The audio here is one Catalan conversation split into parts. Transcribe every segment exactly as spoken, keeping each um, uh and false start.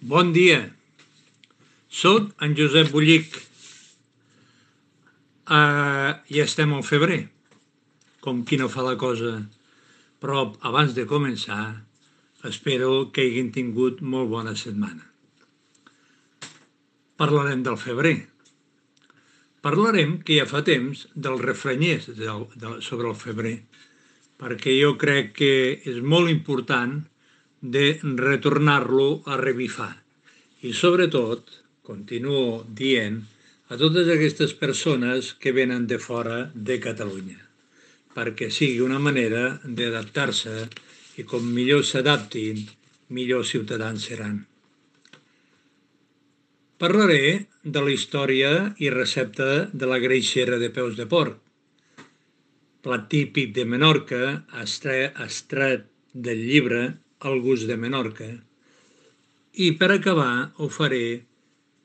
Bon dia, soc en Josep Bullic uh, i estem al febrer, com qui no fa la cosa. Però abans de començar, espero que hagin tingut molt bona setmana. Parlarem del febrer. Parlarem, que ja fa temps, dels refranyers del, de, sobre el febrer, perquè jo crec que és molt important de retornar-lo a revifar. I sobretot, continuo dient, a totes aquestes persones que venen de fora de Catalunya, perquè sigui una manera d'adaptar-se i com millor s'adaptin, millor ciutadans seran. Parlaré de la història i recepta de la greixera de peus de porc, plat típic de Menorca, extret del llibre El gust de Menorca. I per acabar ho faré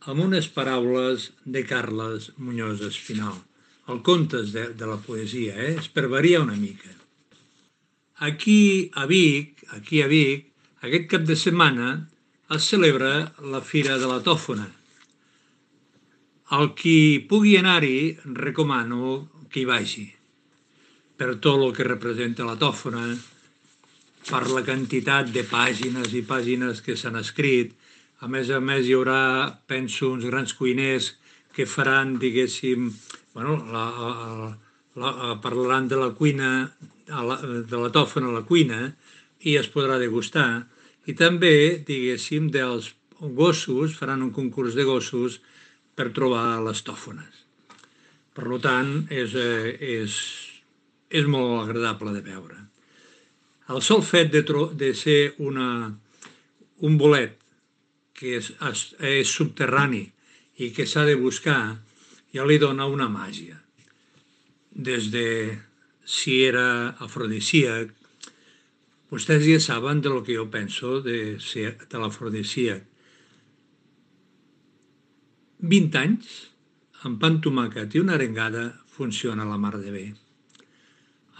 amb unes paraules de Carles Muñoz Espinal, el contes de, de la poesia, eh? És per variar una mica. Aquí a Vic, aquí a Vic, aquest cap de setmana es celebra la Fira de la Tòfona. El qui pugui anar-hi, recomano que hi vagi, per tot el que representa la tòfona, per la quantitat de pàgines i pàgines que s'han escrit. A més a més, hi haurà, penso, uns grans cuiners que faran, diguéssim, bueno, la, la, la, parlaran de la cuina, de la tòfona a la cuina, i es podrà degustar. I també, diguéssim, dels gossos, faran un concurs de gossos per trobar les tòfones. Per tant, és, és, és molt agradable de veure. El sol fet de, de ser una, un bolet que és, és subterrani i que s'ha de buscar, ja li dona una màgia. Des de si era afrodisíac, vostès ja saben de lo que jo penso de, ser, de l'afrodisíac. vint anys, amb pa amb tomàquet i una arengada, funciona la mar de bé.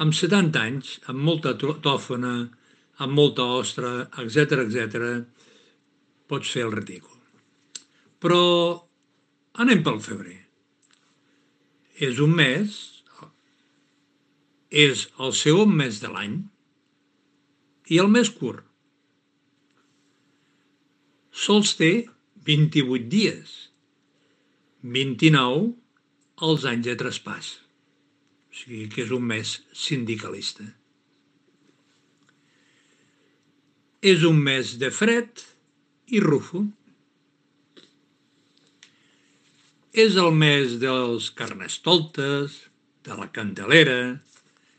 Amb setanta anys, amb molta tòfona, amb molta ostra, etcètera, etcètera, pots fer el ridícul. Però anem pel febrer. És un mes, és el segon mes de l'any i el més curt. Sols té vint-i-vuit dies, vint-i-nou els anys de traspàs. O sigui que és un mes sindicalista. És un mes de fred i rufo. És el mes dels carnestoltes, de la Candelera,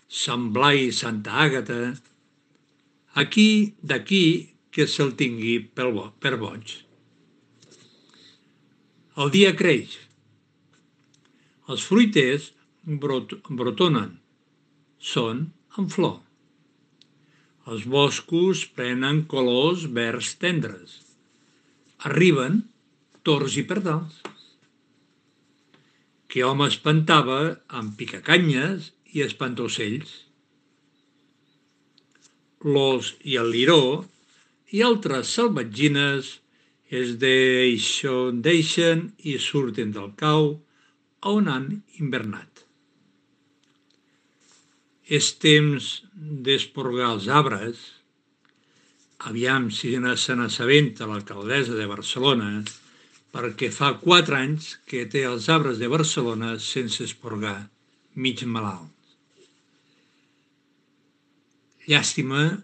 Sant Blai i Santa Àgata. Aquí, d'aquí, que se'l tingui per boig. El dia creix. Els fruiters brot, brotonen, són en flor. Els boscos prenen colors verds tendres. Arriben tords i pardals. Que home espantava amb picacanyes i espantocells. L'os i el liró i altres salvatgines es deixen, deixen i surten del cau on han invernat. És temps d'esporgar els arbres. Aviam si se n'assabenta l'alcaldessa de Barcelona, perquè fa quatre anys que té els arbres de Barcelona sense esporgar, mig malalts. Llàstima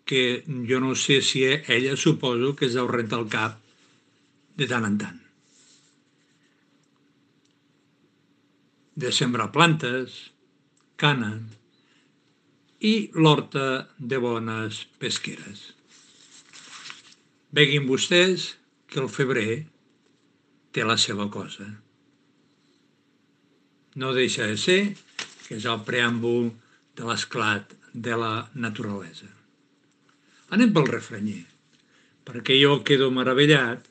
que jo no sé si ella suposo que es deu rentar el cap de tant en tant. De sembrar plantes, cana i l'horta de bones pesqueres. Veguin vostès que el febrer té la seva cosa. No deixa de ser que és el preàmbul de l'esclat de la naturalesa. Anem pel refranyer, perquè jo quedo meravellat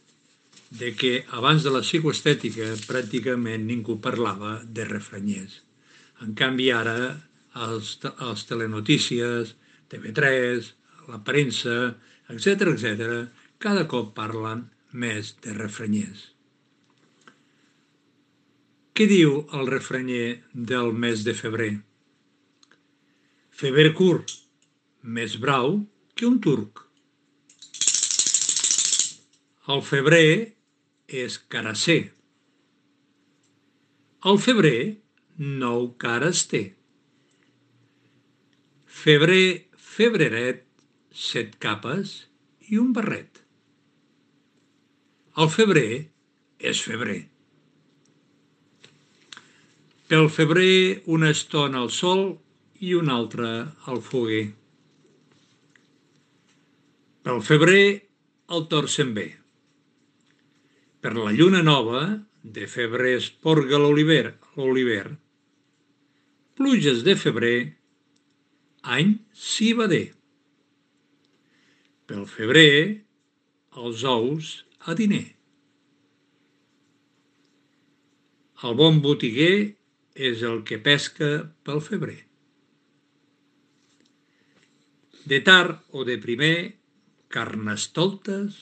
de que abans de la psicoestètica pràcticament ningú parlava de refranyers. En canvi ara els, els telenotícies, T V tres, la premsa, etcètera, etcètera, cada cop parlen més de refrenyers. Què diu el refrenyer del mes de febrer? Febrer curt, més brau que un turc. El febrer és carasser. El febrer nou cares té. Febrer, febreret, set capes i un barret. El febrer és febrer. Pel febrer una estona al sol i una altra al foguer. Pel febrer el tord se'n ve. Per la lluna nova, de febrer es porga l'oliver, l'oliver. Pluges de febrer, any civader. Pel febrer, els ous a diner. El bon botiguer és el que pesca pel febrer. De tard o de primer, carnestoltes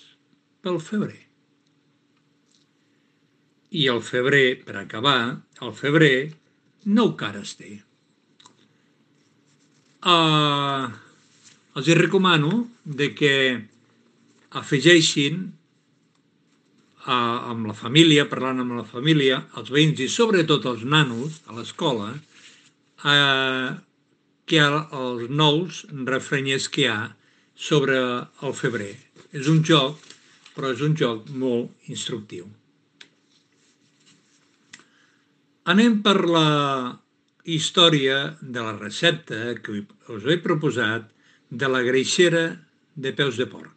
pel febrer. I el febrer, per acabar, el febrer nou cares té. Uh, els hi recomano de que afegeixin uh, amb la família, parlant amb la família, els veïns i sobretot els nanos a l'escola, uh, que hi ha els nous refrenyers que hi ha sobre el febrer. És un joc, però és un joc molt instructiu. Anem per la història de la recepta que us he proposat de la greixera de peus de porc.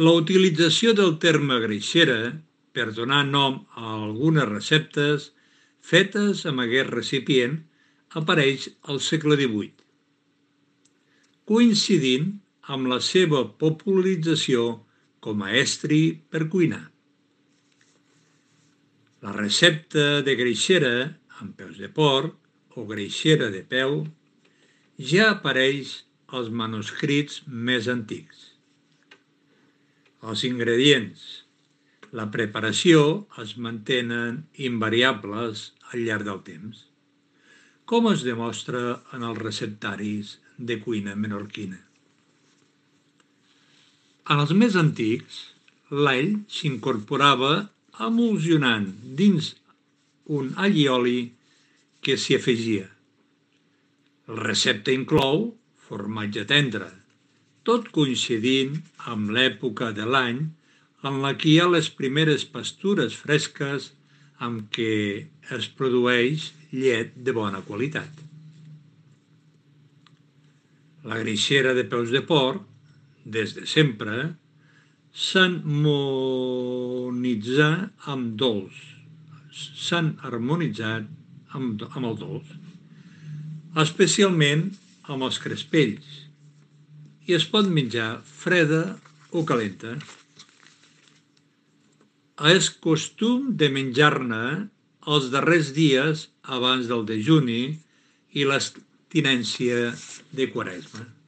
La utilització del terme greixera per donar nom a algunes receptes fetes amb aquest recipient apareix al segle divuit, coincidint amb la seva popularització com a estri per cuinar. La recepta de greixera amb peus de porc o greixera de peu ja apareix als manuscrits més antics. Els ingredients, la preparació es mantenen invariables al llarg del temps, com es demostra en els receptaris de cuina menorquina. En els més antics, l'all s'incorporava emulsionant dins un allioli que s'hi afegia. La recepta inclou formatge tendre, tot coincidint amb l'època de l'any en la que hi ha les primeres pastures fresques amb què es produeix llet de bona qualitat. La greixera de peus de porc, des de sempre, s'han harmonitzat amb dolç, s'han harmonitzat amb, amb el dolç, especialment amb els crespells, i es pot menjar freda o calenta. És costum de menjar-ne els darrers dies abans del dejuni i l'abstinència de Quaresma.